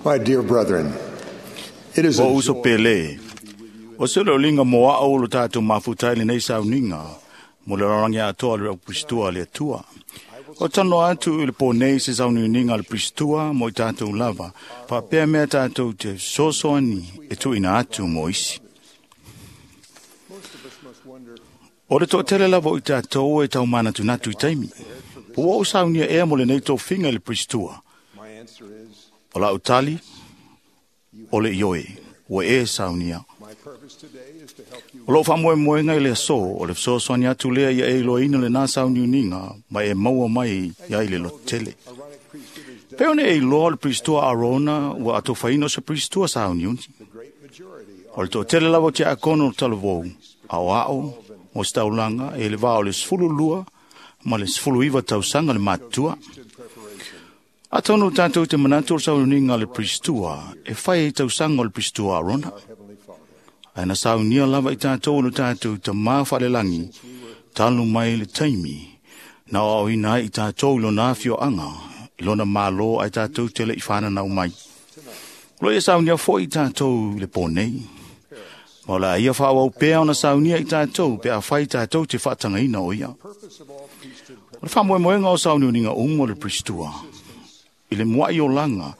My dear brethren, it is a O uso joy pele. O se le linga mo a o lo tātou mafutai le nei sauniga mo le rarangi atoa le Pristua le Atua. O tano atu i le pō nei se sauniuniga a le Pristua mo i tātou lava, faapea mea tātou te sosoani e tuuina atu mo isi. Most of us must wonder O le toatele lava o i tātou e tau manatunatu i taimi. Po ua ou saunia ea mo lenei tofiga i le Pristua. My answer is O lau tali, o le ioe, ua e saunia. my purpose today is to help you O lou faamoemoega i le aso, o le fesoasoani atu lea ia e iloaina lenā sauniuniga ma e maua mai ai le lototele. Aaronic priesthood is Pei ona e iloa o le Pristua Arona ua atofaina o se Pristua sauniuni. the great majority O le toatele lava o tiakono o le talavou, aoao, mo se taulaga e le vā o le 12 ma le 19 tausaga le matutua. priesthood preparation. Atonu tātou te manatu o le sauniuniga a le Pristua e fai i tausaga o le Pristua Arona. Our Heavenly Father. Ae na saunia lava i tātou o le tātou tamā whalelangi, talu mai le taimi, na o ina ai i tātou i lona afioanga, i lona malo ai tātou te le i whananau mai. Lo ia saunia foi i tātou i le pō nei. Ma o la ia whaawau pea ona saunia i tātou, pe a whai tātou te whaatangaina o ia. Purpose of all priesthood O le whaamoemoenga o sauniuniga umu o le Pristua, i le muai o langa,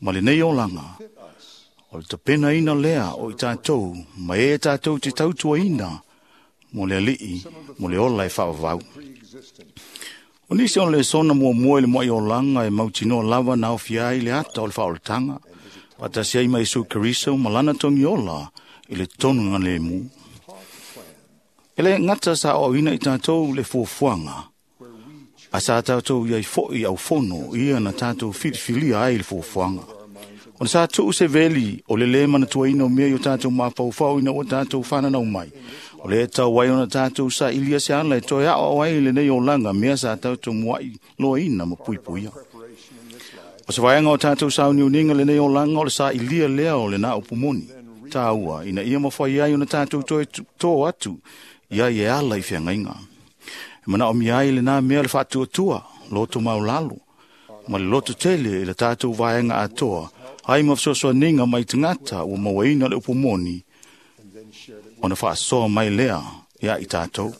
ma le nei o langa, fit us o le tapena ina lea o i tātou, ma e tātou te tautua ina, mo le alii, mo le ola e whaawau. pre-existent. O nisi o le sona mua mua i le moai o langa e mautinoa lava na ofia ai le ata o le whaolatanga, patasi ai mai Isu Keriso ma lana tongi ola i le tonu ngā le mu. E le ngata sa o ina i tātou le fuafuaga, Where we choose a sa tātou iai foi au fono ia na tātou filifilia ai le fuafuaga. Ona sa tuu se veli o le le manatuaina o mea i o tātou mafaufau ina ua tātou whananau mai. O le tau ai ona tātou sa ilia se ala e toe ao ai le nei olanga mea sa tātou muai loaina ma puipuia. preparation in this life O se vaenga o tātou sauniuniga le nei olanga o le sa ilia lea o le nā upumoni. Tāua, ina ia mawhai ai ona tātou toe tō atu ia i e ala i whiangainga. E mana o mia ai le nā mea le whaatuatua, loto maulalo, ma le loto tele i le tātou vaenga atoa, ai ma fesoasoaniga mai tagata ua mauaina le upumoni, and then shared it with ona faasoa mai lea ia i tātou.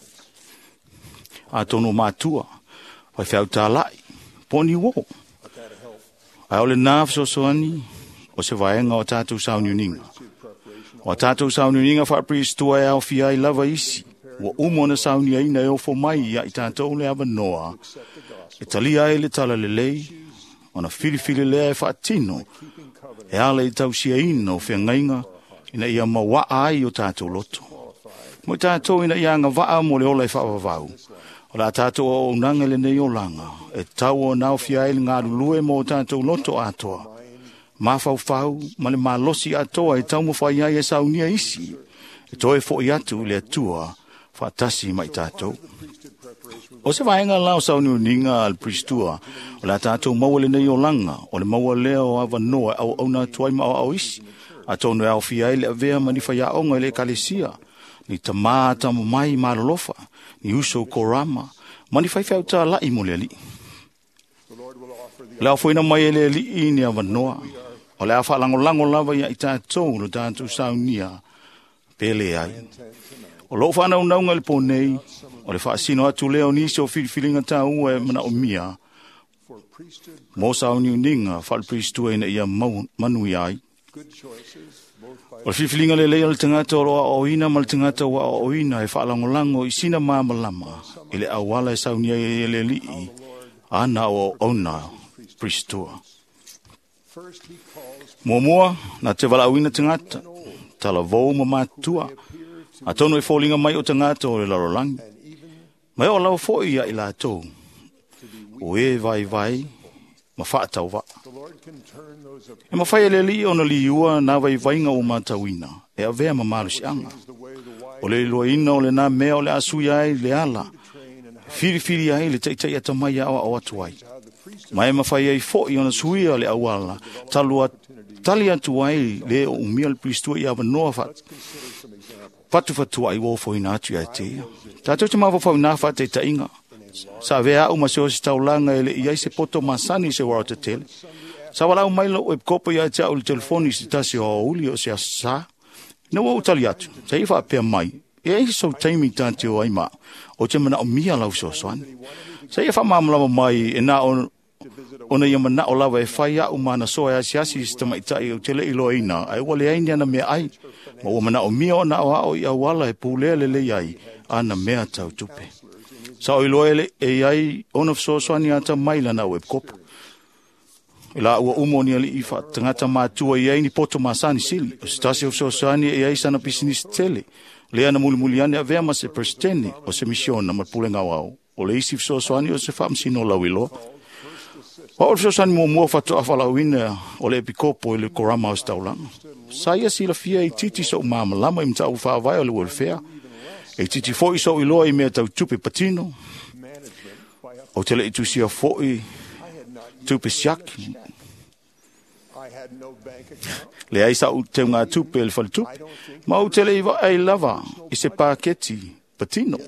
Atonu o mātua, faifeau tālai, poni uo. but that help Ai o le nā fesoasoani o se vaenga o tātou sauniuniga. priesthood preparation O a tātou sauniuniga faapristua e aofia ai lava isi, ua uma ona sauniaina e ofo mai ia i tātou le avanoa, accept the gospel e talia ai le tala lelei, ona filifili lea e faatino, keeping covenant e ala i tausiaina o feagaiga ina ia mauaa ai o tātou loto. Mo i tātou ina ia agavaa mo le ola e faavavau. O la tātou auaunaga i lenei olaga, e tau o naofia ai le galulue mo o tātou loto atoa. Mafaufau ma le malosi atoa e taumafai ai e saunia isi, e toe fo'i atu i le Atua faatasi ma i tātou. priesthood preparation O se vaenga la o sauniuniga a le Pristua, o la tātou maua lenei olaga, o le maua lea o avanoa e auauna atu ai ma aoao isi, atonu e aofia ai le avea ma ni faiaoga i le ekalesia, ni tamā tama mai malolofa, ni uso korama, ma ni faifeau tāla'i mo le alii. the Lord will offer the Le aofoina mai e le alii ni avanoa, o le a faalangolango lava ia i tātou lo tātou saunia, pe le ai. intent tonight O lou whanaunauga i le pō nei, o le faasino atu lea o nisi o filifiliga tāua e manaomia, for priesthood mo sauniuniga faale-Pristua ina ia mau, manuia ai. good choices both by O le filifiliga lelei o le tagata o lo aoaoina ma le tagata ua aoaoina e faalangolango i sina malamalama i le auala e saunia ai e le alii, ana o auauna Pristua. first he calls Muamua, na te valaauina tagata, talavou ma matua, appear to atonu e foliga mai o tagata o le lalolagi. and even Mai o lau foi ia i latou, to be weak. o e vai vai, ma whaatau The Lord can turn those E mawhai e le alii ona liua nā vaivainga o mātauina, e avea ma malosiaga. is the way the wise O le iloaina o le nā mea o le asui ai le ala, train and how, filifili ai le taitai ata mai ao ao atu ai. how the priesthood Ma e mawhai ai foi ona suia le auala, talua, tali atu ai le o umia le Pristua i avanoa wha, Let's consider some examples. whatu whatua ai wofo ina atu ia te ia. Tātou te mawhawhau nā whaataitainga. Sa vea au ma se o se taulanga e le iai se poto masani se waro te tele. Sa walau mai lou epikopo ia te au le telefoni i se tasi o aoauli o se aso Sā. Ina ua ou tali atu, sa ia faapea mai, e ai sou taimi ta te o ai ma au, ou te manaomia lau fesoasoani. Sa ia faamalamalama mai e na o ona ia manao lava e fai a'u ma ana soa e asiasi i se tamaitai ou te le i iloaina, ae ua leai ni ana meaai, ma ua manaomia ona aoao i auala e pulea lelei ai ana mea tau tupe. Sa ou iloa e i ai ona fesoasoani atamai i lana au epikopo. I la ua uma o ni ali'i faatagata matua i ai ni poto masani sili, o se tasi o fesoasoani e i ai sana pisinisi tele, lea na mulimuli ane avea ma se peresetene o se misiona ma le pulega aoao. O le isi fesoasoani o se faamasino lauiloa. O au le fesoasoani muamua faatoa faalauina o le epikopo i le korama o se taulaga. Sa ia silafia e itiiti so'u malamalama i mataupu faavae o le welfare. E itiiti foi so'u iloa i mea tau tupe patino. Ou te le i tusia foi tupe siaki. Leai sa'u teugatupe i le faletupe, ma ou te le i vaai lava i se paketi patino.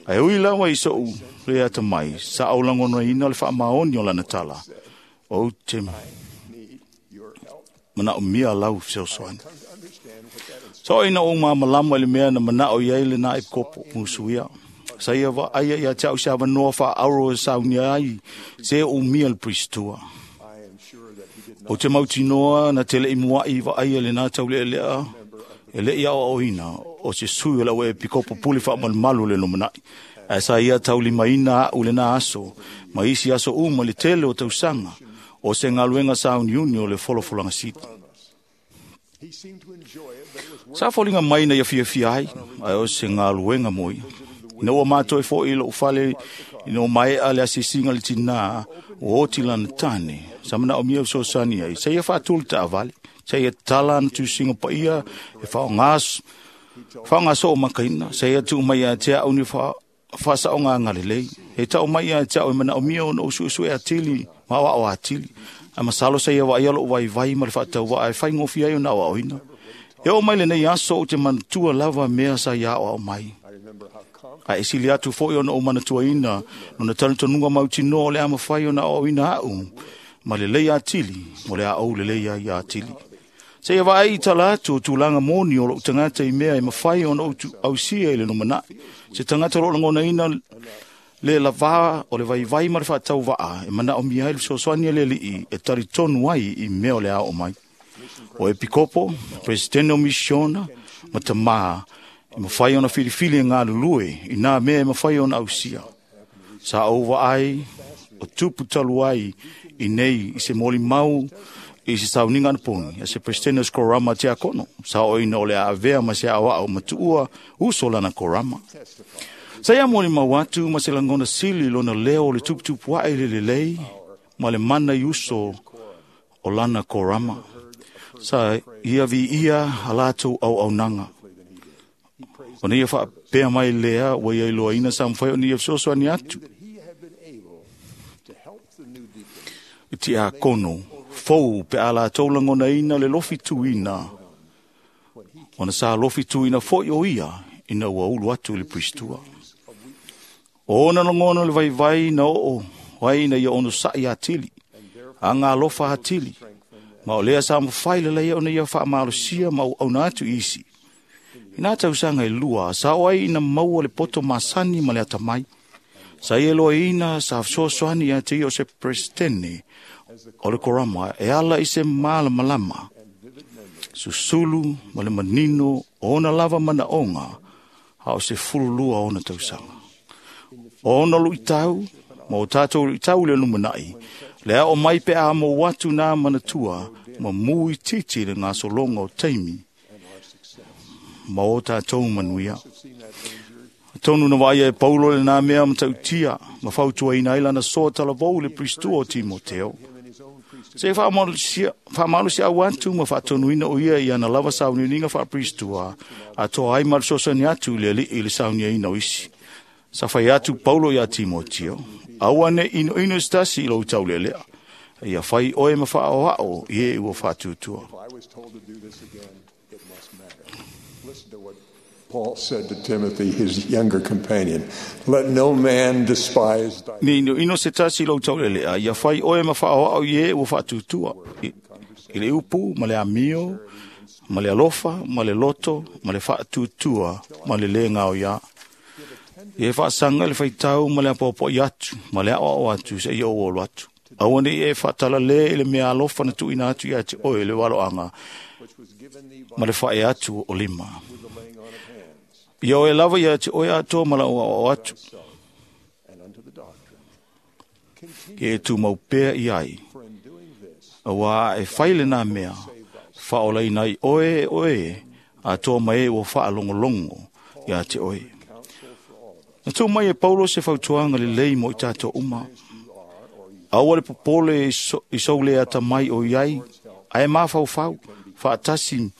Ae ui lava i so'u le atamai, sa ou lagonaina le faamaoni o lana tala. Ou te manaomia lau fesoasoani. Sa oo ina ou malamalama i le mea na manao i ai lena epikopo musuia. Sa ia vaaia ia te au se avanoa faaauro e saunia ai se umia le pristua. Ou te mautinoa na te le i mua'i vaaia lena taulealea e le i aoaoina o se sui o lau epikopo pule faamalumalu le lumanai. Ae sa ia taulimaina a'u lena aso ma isi aso uma i le tele o tausaga o se galuega sauniuni o le folafolaga sili. Sa foliga mai na ia fiafia ai, ae o se galuega mo ia. Ina ua matoe foi i lou fale ina ua maea le asiasiga le tinā ua oti lana tane, sa manaomia fesoasoani ai, sa ia faatuli taavale, sa ia tatala ana tusiga paia e faaaoga soo makaina, sa ia tuu mai ia te au ni faasaoga agalelei. E tau mai ia te au e manaomia ona ou suesue atili ma aoao atili. Ae masalo sa ia vaaia lou vaivai ma le faatauvaa e faigofie ai ona aoaoina. E oo mai lenei aso ou te manatua lava mea sa ia aoao mai. Ae sili atu foi ona ou manatuaina lona talitonuga mautinoa o le a mafai ona aoaoina a'u ma lelei atili mo le a ou lelei ai atili. Seia vaai i tala atu o tulaga moni o lou tagata i mea e mafai ona ou ausia i le lumanai. Se tagata o loo lagonaina le lavā o le vaivai ma le faatauvaa e manaomia ai le fesoasoani a le Alii e talitonu ai i mea o le a oo mai. O epikopo, peresetene o misiona ma tamā e mafai ona filifili e galulue i nā mea e mafai ona ausia. Sa ou vaai o tupu talu ai i nei i se molimau i se sauniga anapogi a se peresetene o se korama tiakono. Sa oo ina o le a avea ma se aoao ma tuua uso lana korama. Sa ia molimau atu ma se lagona sili lona leo o le tuputupu ae le lelei ma le mana i uso o lana korama. Sa ia viia a latou auaunaga. Ona ia faapea mai lea ua ia iloaina sa mafai ona ia fesoasoani atu i tiakono fou pe a latou lagonaina le lofituina, ona sa lofituina foi o ia ina ua ulu atu i le pristua. O ona lagona le vaivai na oo ai ina ia onosa'i atili, agalofa atili, ma o lea sa mafai lelei ona ia faamalosia ma auauna atu i isi. Ina tausaga e lua, sa oo ai ina maua le poto masani ma le atamai. Sa ia iloaina sa fesoasoani ia te ia o se peresetene o le korama e ala i se malamalama, susulu ma le manino o ona lava manaoga a o se 12 ona tausaga. O ona luitau, ma o tatou luitau i le lumanai, le ao mai pe a mou atu nā manatua ma mu itiiti le gasologa o taimi ma o tatou manuia. Tonu na vaaia e Paulo le nā mea matautia ma fautuaina ai lana soa talavou i le pristua o Timoteo. Se faamalosi au atu ma faatonuina o ia i ana lava sauniuniga faapristua, atoa ai ma le fesoasoani atu i le Alii i le sauniaina o isi. Sa fai atu Paulo iā Timoteo, aua ne inoino se tasi i lou taulealea. Ia fai oe ma faaoao i e ua faatutua. If I was told to do this again, it must matter. Listen to what Paul said to Timothy, his younger companion, "Let no man despise thy Ni ino ino se tasi lou taulelea, ia fai oe ma whaoao i e ua whaatutua. I le upu, ma le amio, ma le alofa, ma le loto, ma le whaatutua, ma le le ngao ia. Ia e whaasanga le whaitau ma le apoapo i atu, ma le ao atu se i o olo atu. Aua nei e whaatala le i le mea alofa na tuina atu ia te oe le waloanga, which was given thee by ma le whae atu o lima. the laying on of hands, Ia oe lava ia te oe atoa ma la o atu, thyself, and unto the doctrine. Continue, ia e tūmau pea i ai. for in doing this, Aua e whaile nā mea, whaola ina i oe e oe, a tō mai e ua whaalongolongo ia te oe. counsel for all of us. Na tū mai e Paulo se fautuanga le lei mo i tātou uma. You are, or you Aua le popole i soule ata mai o iai, ae mawhauwhau, whaatasi,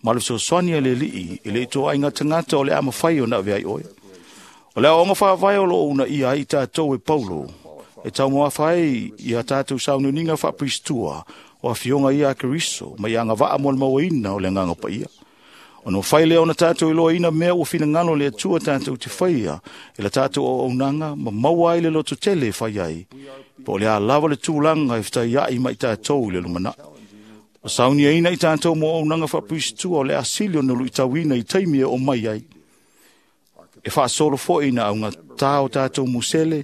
ma le fesoasoani a le alii, e le i tō ai ngā tangata o le ama whai o na avea i oe. O le aonga whaawai o lo una ia ai tātou e Paulo, e tau moa whai i a tātou saununiga whaapristua, o a fionga ia a Keriso, mai anga waa mo le mauaina o le nganga paia. O no whai lea ona tātou i loa ina mea ua whinangalo le atua tātou te whaia, e la tātou o aunanga, ma maua ai le loto tele e whai ai. Po o le a lava le tūlanga e whitai ai mai tātou i le lumana. O saunia ina i tātou mo aunanga whaapristua o le asili o nulu i tauina i taimi e o mai ai. E whaasolo fo ina au ngā tā o tātou musele,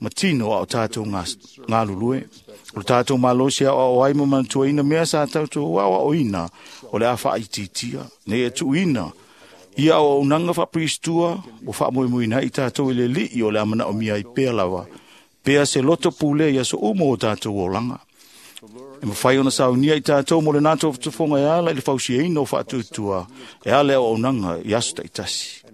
ma tino a o tātou ngā, ngā lulue. O le tātou malosi au o ai ma manatua ina mea sa tātou au o ina, o le a whaititia, nei e tuina. Ia o unanga whapristua, o whaamoemoe i tātou i le lii o le amana o mia i pea lava. Pea se loto pule ia so umo o tātou o langa. E mawhai ona saunia i tātou mo le nātou whatufonga e ala i le fausia ina o whaatutua, e ala o unanga i aso taitasi.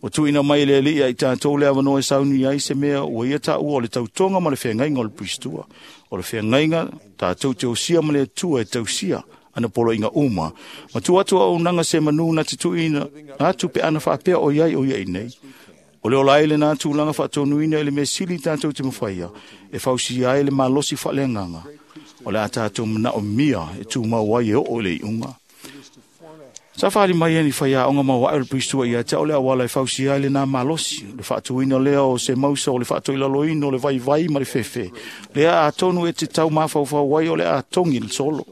O tuina mai le lia i tātou le awanoa e sauni ai se mea ua ia tā ua o le tautonga ma le whengainga o le pristua. O le whengainga tātou te osia ma le atua e tausia ana polo inga uma. Ma tu atu au nanga se manu na te tuina atu pe ana whaapea o iai o iai nei. O le ola ele nā tūlanga whaatonuina ele mea sili tātou te mawhaia e fausi ai le malosi whaaleanganga. O le a tātou mana o mia e tū mau ai e o le i unga. Sa whaali mai ani whai a onga maua le pristua ia te o le awala e fausi ai le nā malosi, le whaatuina lea o se mausa o le whaatu ilaloina o le vai vai ma le fefe. Lea a tonu e te tau mawhauwhau ai o le a tongi le solo.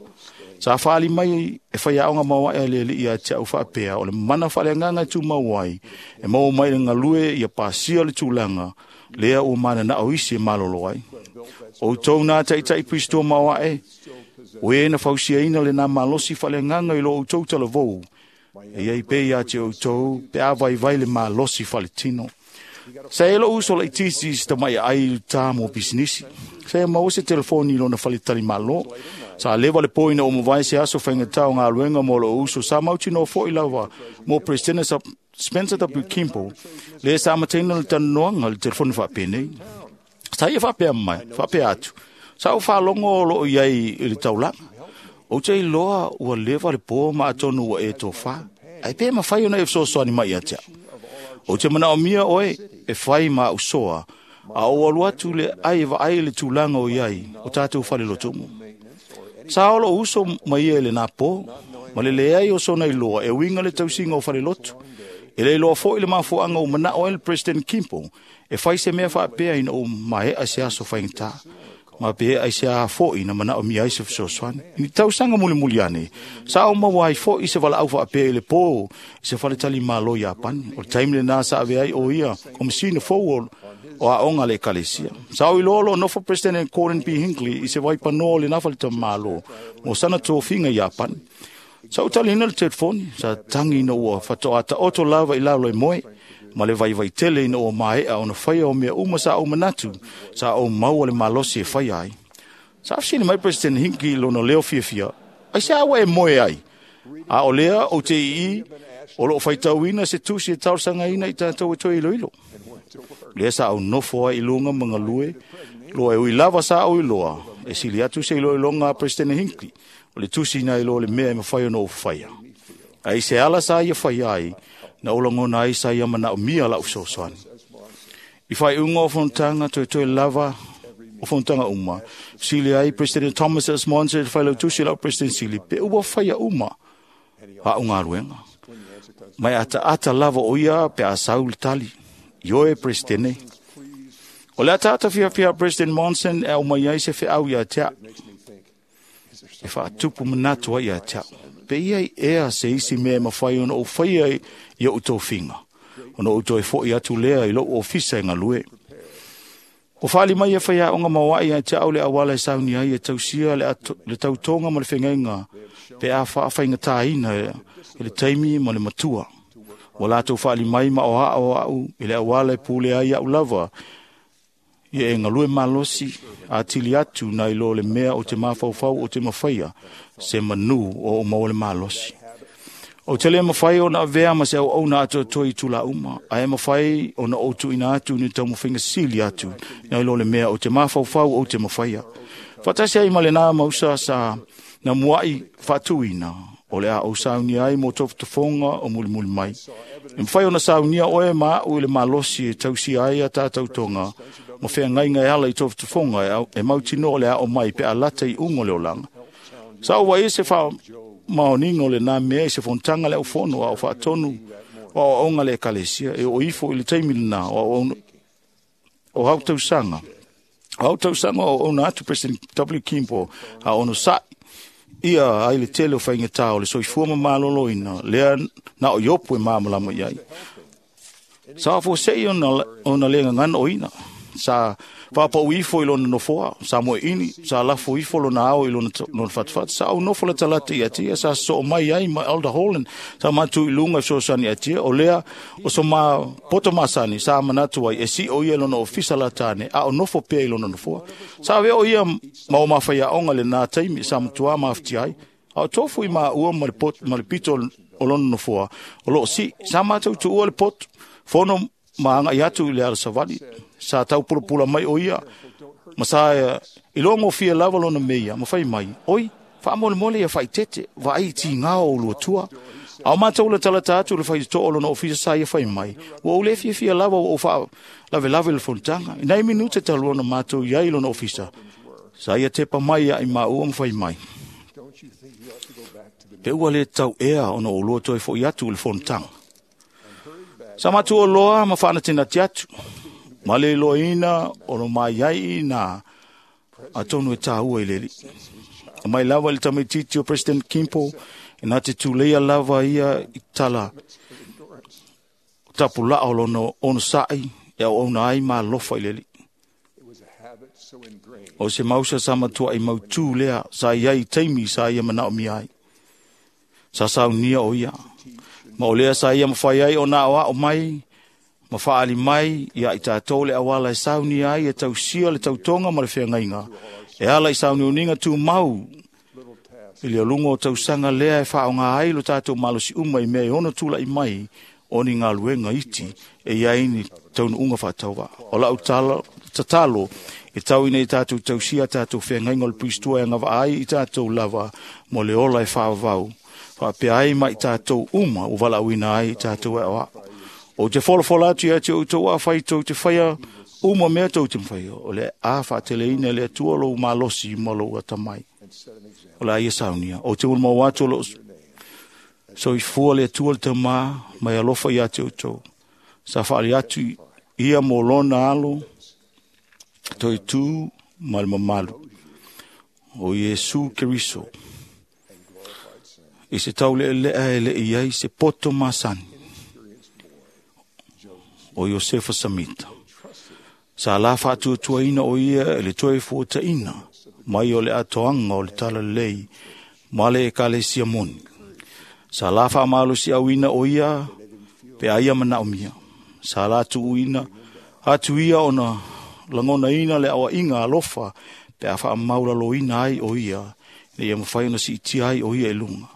Sa whaali mai e whai a onga maua e le ia te au whaapea o le mana whaaleanganga e tū mau ai, e mau mai le ngalue ia pasia le tūlanga, lea o mana na o isi e malolo ai. O tau nā taitai pristua maua e, o e na fausia ina le nā malosi whaaleanganga i lo o tau talavou. E iai pe ia te o tau, pe a vai vai le malosi whaletino. Sa e lo uso la itisi si tamai ai i tā mo bisinisi. Sa e mau se telefoni lona whaletali malo. Sa lewa le poina o mawai se aso whainga tau ngā luenga mo lo uso. Sa mautino fo i lava mo President Spencer W. Kimball. Le sa matena le tanoanga le telefoni whaapene. Sa ia whaapea mai, whaapea atu. Sa o whaalongo o lo iai i le taulanga. O te iloa ua lewa le pō ma atonu ua e tō wha. Ai pē mawhai ona e fesoasoani mai ia te au. O te mana o mia oe e whai ma usoa. A o alu atu le ai e vaai le tūlanga o iai o tātou whale lotumu. Sa olo uso mai e le nā pō. Ma le leai o sona iloa e winga le tausinga o whale lotu. E le iloa fo i le mafuanga o mana o el President Kimball e whai se mea whaapea ina o mae a se aso whaingata. Ma pe ai se a fo ina mana o mia ai se fesoasoani. Ni tausanga muli muli ane. Sa o maua ai fo i se wala au whaapea i le pō i se whale tali malo i Apani. O le taimi le nā sa ave ai o ia o masina fou o a onga le ekalesia. Sa o iloa lo nofo President Gordon B. Hinckley i se waipanoa o le nā whale tali malo mo sana tōfinga i Apani. Sa utali ina le telefoni, sa tangi ina ua whatoa oto lava i lalo e moe, ma le vai vai tele ina ua maea ona whaia o mea uma sa o manatu, sa o maua le malosi e whaia ai. Sa afsini mai President Hinckley lona leo fiafia, ai se awa e moe ai. A o lea o te ii, o loo whaitauina se tusi e tausanga ina i tātou e toi ilo ilo. Lea sa au nofo ai i lunga mga lue, loa e ui lava sa au iloa, e sili atu se ilo ilonga a President Hinckley, o le tusi na ilo le mea e mawhai ono o whaia. Ai se ala sa ia whaia ai, na olangona ai sa ia mana o mia la usosoani. I whai unga o whontanga, toi toi lava o whontanga uma. Sili ai President Thomas S. Monson, whai lau tusi lau President Sili, pe ua whaia uma a unga ruenga. Mai ataata lava o ia pe a sau le tali. Ioe Presidente. O le ataata fiafia President Monson e au mai ai se feau ia te au. E faatupu manatu ai ia te au. Pe ia i ea se isi mea e mawhai ona o whaia i o tofinga. Ona o toe foi atu lea i lou ofisa e ngalue. O whaali mai e whaia onga mawai ia te au le awala e sauni ai e tausia le tautonga ma le whengeinga pe a whaawhainga tāina e le taimi ma le matua. O lātou whaali mai ma o aa o au i le awala e pule ai au lava ia e ngalue malosi a tili atu nai lo le mea o te mafaufau o te mawhaia se manu o o le malosi. O te le mawhai o na avea ma se au au na atu toi tula uma, a e mawhai o na o tuina atu ni tau mawhainga sili atu nai lo le mea o te mafaufau o te mawhaia. Whatasi ai ma le nā mausa sa na muai whatuina o le a o sauni ai mō tofotofonga o mulimuli mai. E mwhai o na saunia oe ma au i le malosi e tausi ai a tātou tonga, ma whea ngainga e ala i tofotofonga e mautino o le a o mai pe a lata i ungo le olanga. Sa o wai se wha maoningo le nā mea i se fontanga le au fono a o whaatonu o o onga le ekalesia e o ifo i le taimi le nā o hau tausanga. O hau tausanga o ona atu President W. Kimbo a ono sa'i ia ai le tele o whainga o le soifua ma maloloina lea na o iopu e māmalama iai. Sa fo sei ona le ngangana o ina. Sa whapau ifo i lona nofoa, sa moe ini, sa lafo ifo lona ao i lona fatfat, sa au nofo la talata i atia, sa so mai ai ma Elder Holland, sa matu i lunga so sani atia, o lea o so ma poto masani, sa manatu ai, e si o ia lona ofisa la tane, a o nofo pea i lona nofoa. Sa veo o ia ma o mawhai onga le nā taimi, sa matua mawhiti ai, a o tofu i maa ua ma le pito o lona nofoa, o loo si, sa mātou tu ua le poto, fono maanga i atu i le ala savali, sa tau pulapula mai o ia, ma sa i loa ngofia lava lona meia, ma whai mai, oi, wha ia whaitete, wa ai ti ngā o luatua, au mātou le talata atu le whai to'o lona ofisa sa ia whai mai, ua ule fia fia lava o wha lave lave le fontanga, i nei minute talu ona mātou iai lona ofisa, sa ia tepa mai ia i maua ma whai mai. Pe ua le tau ea ona o lua toi fo i atu le fontanga. Sa matua loa ma whaana tēnā te atu. Ma le loa ina o no mai ai nā a tonu e tāua i leli. Mai lava le tamaititi o President Kimpo e nā te tūleia lava ia i tala tapu laa o lona ono sa'i e au ona ai ma lofa i leli. O se mausa sa matua i mautū lea sa iai taimi sa ia manao mi ai. Sa saunia o ia. Ma o lea sa ia mawhai ai o nā o ao mai, ma whaali mai, ia i tātou le awala e sauni ai, e tausia le tautonga ma le whengainga. E ala i sauni uninga tū mau, i le olunga o tausanga lea e whaonga ai lo tātou malosi uma i mea i ono tūla i mai, o ni ngā luenga iti, e iai ni taunu unga whaatawa. O lau tatalo, e tau ina i tātou tausia tātou whengainga o le pristua e ngawa ai i tātou lava, mo le ola e whaawau. Whaapea ai mai tātou uma o walauina ai tātou e oa. O te folofola atu ia te outou a whai tau te whaia uma mea tau te mwhaia. O le a whaateleina le atua lou malosi ma lou atamai. O le aia saunia. O te ulma atu lo soifua le atua le tamā mai alofa ia te outou. Sa whaali atu ia mō lona alo toi tū ma le mamalu. O Iesu Keriso. I se tau le lea e le iai se poto masani. O Iosefa Samita. Sa la whaatuatuaina o ia e le toe fuataina. Mai o le atoanga o le tala lei. Ma le ekalesia moni. Sa la whaamalosi auina o ia pe aia manaomia. Sa la tuuina atu ia ona langona ina le awa inga alofa pe a whaamaula loina ai o ia. Ne ia mawhai ona si iti ai o ia e lunga.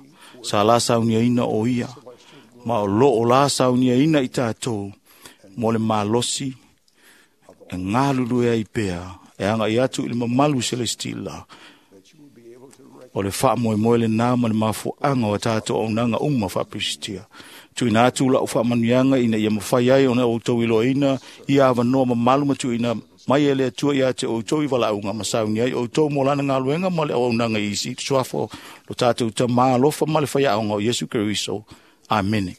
Sa la saunia ina o ia. Ma o lo o la saunia ina i tātou. Mo le malosi e ngālulu e ai pea. E anga i atu i le mamalu celestila. O le wha moe moe le nā ma le mafuanga o tātou au nanga uma whapristia. Tuina atu la o wha ina ia mawhai ai ona o tau iloa ina ia awanoa mamalu matu ina mai e le atua ia te o tau i walaunga masauni ai o tau mō lana ngā ma le au nanga isi. Suafo lo tātou ta maalofa ma le whai aonga o Yesu Keriso. Amene.